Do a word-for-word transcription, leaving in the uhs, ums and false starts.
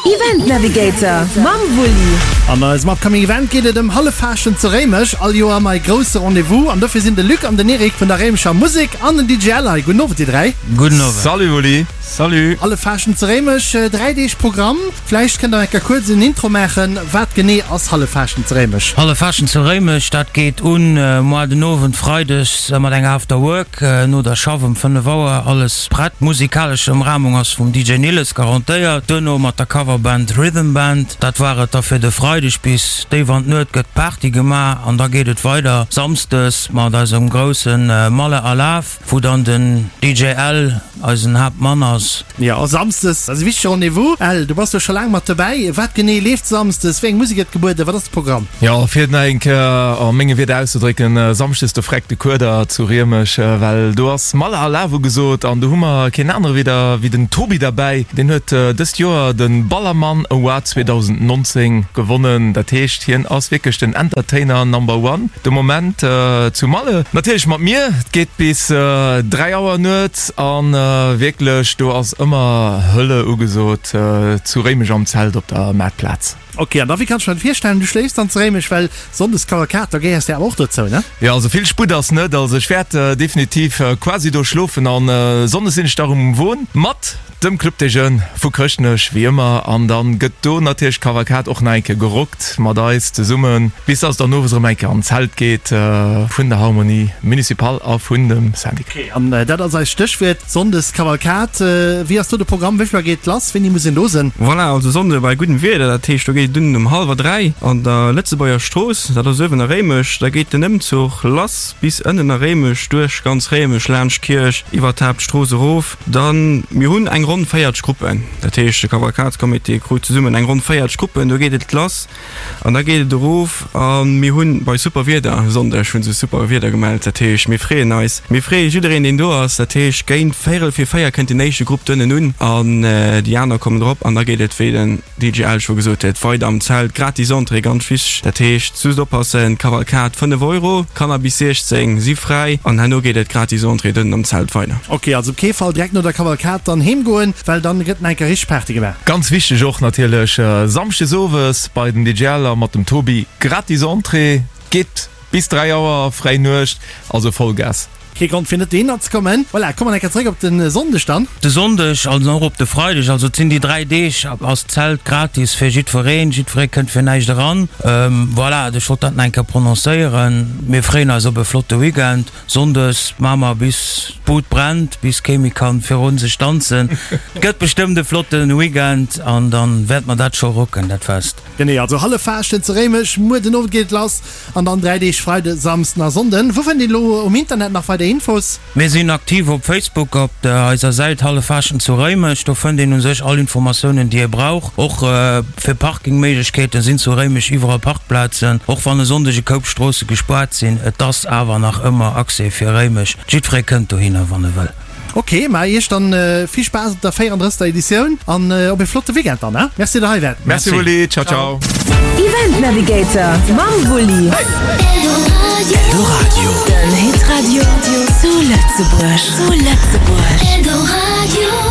Event Navigator mam Wulli. An eisem Upcoming Event geet et ëm Halleffaaschten zu Réimech. All Joer mei grousse Rendez-vous an dofir sinn de Luc an den Eric vun der Réimecher Musek an den D J Al hei. Gudden Owend dir dräi. Gudden Owend. Salut Wulli. Salut. Halleffaaschten zu Réimech, dräi Deeg Programm. Vläicht kënnt der eng Kéier kuerz en Intro maachen. Wat genee ass Halleffaaschten zu Réimech? Halleffaaschten zu Réimech, dat geet un moar den Owend freides mat enger After Work no der Schaff ëm fënnef Auer. Alles prett. Musikalesch Ëmrahmung ass vum D J Nilles garantéiert. Duerno mat der Coverband Rhythm Band. Dat war et da fir de Freideg. Bis déif an d'Nuet gëtt Party gemaach an da geet et weider samsdes mat eisem grousse Malle Alaaf, wou dann den D J Al eisen Haaptmann ass. Jo, samsdes ass e wichtege Rendez-vous. Al, du bass jo scho laang mat dobäi. Wat genee leeft samsdes? Wéi eng Musek gëtt gebueden? Wat ass de Programm? Jo, fir et nach eng Kéier a menge Wierder auszedrécken, samschdes do freckt de Kueder zu Réimech, well do ass Malle Alaaf ugesot an do hu mer keen anere wéi der wéi den Tobi derbäi. Deen huet dëst Joer de Ballermann Award zweedausendnonzéng gewonnen. Dat heescht, hien ass wierklech den Entertainer Number One de Moment zu Malle. Natierlech mat mir. Et geet bis dräi Auer nuets a wierklech do ass ëmmer Hölle ugesot zu Réimech am Zelt op der Maartplaz. Ok, an da wéi kann ech mer dat virstellen? Du schléifs dann zu Réimech, well Sonndes Kavalkad, da gehéiers de awer och dozou, ne? Jo, also vill Sputt ass net. Also ech wäert definitiv quasi do schlofen an Sonndes sinn ech da rëm um Won mat dem Club des Jeunes vu Chrëschtnech wéi ëmmer an dann gëtt do natierlech d'Kavalkad och nach eng Kéier gerockt mat eis zesummen, bis dass et dann owes erëm eng Kéier an d'Zelt geet vun der Harmonie Municipale a vun dem Syndic. Ok, an dat ass eist Stéchwuert, Sonndes Kavalkad. Wéi ass do de Programm? Wéi vill Auer geet lass? Wéini muss een do sinn? Voilà, also Sonnde bei guddem Wieder, dat heescht do geet et un um hallwer dräi an der Lëtzebuerger Strooss, dat ass uewen a Réimech, da geet den Ëmzuch lass bis ënnen a Réimech, duerch ganz Réimech, laanscht d'Kierch, iwwer d'Haaptstrooss erof. Dann, mir hunn eng ronn véierzeg Gruppen, dat heescht de Kavalkadscomité krut zesummen eng ronn véierzeg Gruppen, do geet et lass an da geet et erof a mir hunn bei super Wieder, e Sonndeg hu se super Wieder gemellt, dat heescht mir freeën eis, mir freeë jiddereen deen do ass, dat heescht géint véierel vir véier kënnt den éischte Grupp dënnen un an déi aner kommen drop an da geet et wéi den D J Al scho gesot huet weider am Zelt, gratis Entrée, ganz wichteg, dat heescht just oppassen, Kavalkad fënnef Euro, Kanner bis siechzéng si fräi an herno geet et gratis Entrée dënnen am Zelt weider. Ok, also op kee Fall direkt no der Kavalkad dann heem goen, well dann gëtt nach eng Kéier richteg Party gemaach. Ganz wichteg och natierlech Samschdes owes bei den D J Al a mat dem Tobi, gratis Entrée, geet bis dräi Auer fréi Nuecht, also Vollgas. Kee Grond fir net dohinner ze kommen. Voilà, komme mer eng Kéier zeréck op de Sonndeg dann. De Sonndeg, also och op de Freideg, also et sinn déi dräi Deeg, ass d'Zelt gratis fir jiddwereen. Jiddweree kënnt fir näischt eran. Voilà, ech wollt dat nach eng Kéier prononcéieren. Mir freeën eis op e flotte Weekend. Sonndes maache mer bis d'Bud brennt, bis kee méi kann virun sech danzen. Et gëtt bestëmmt e flotte Weekend an dann wäerte mer dat scho rocken, dat Fest. Genee, also Halleffaaschten zu Réimech, muer den Owend geet et lass an dann dräi Deeg, Freide, Samsden a Sonnden. Wou fënnt een elo um Internet nach weider Infos? Mir sinn aktiv op Facebook op der eiser Säit Halleffaaschten zu Réimech. Do fënnt een u sech all Informatiounen déi ee brauch. Och fir Parkingméiglechkeeten sinn zu Réimech iwwerall Parkplazen, och wann e Sonndeg e Koup Stroosse gespaart sinn. Et ass awer nach ëmmer Accès fir Réimech. Jiddweree kënnt dohinner wann e wëll. Ok, ma iech dann vill Spaass op der véierandrëssegster Editioun an op e flotte Weekend dann, he? Merci der hei waart. Merci Wulli, ciao ciao. Event Navigator mam Wulli. Eldoradio. Den Hitradio zu Lëtzebuerg. Zu Lëtzebuerg. Eldoradio.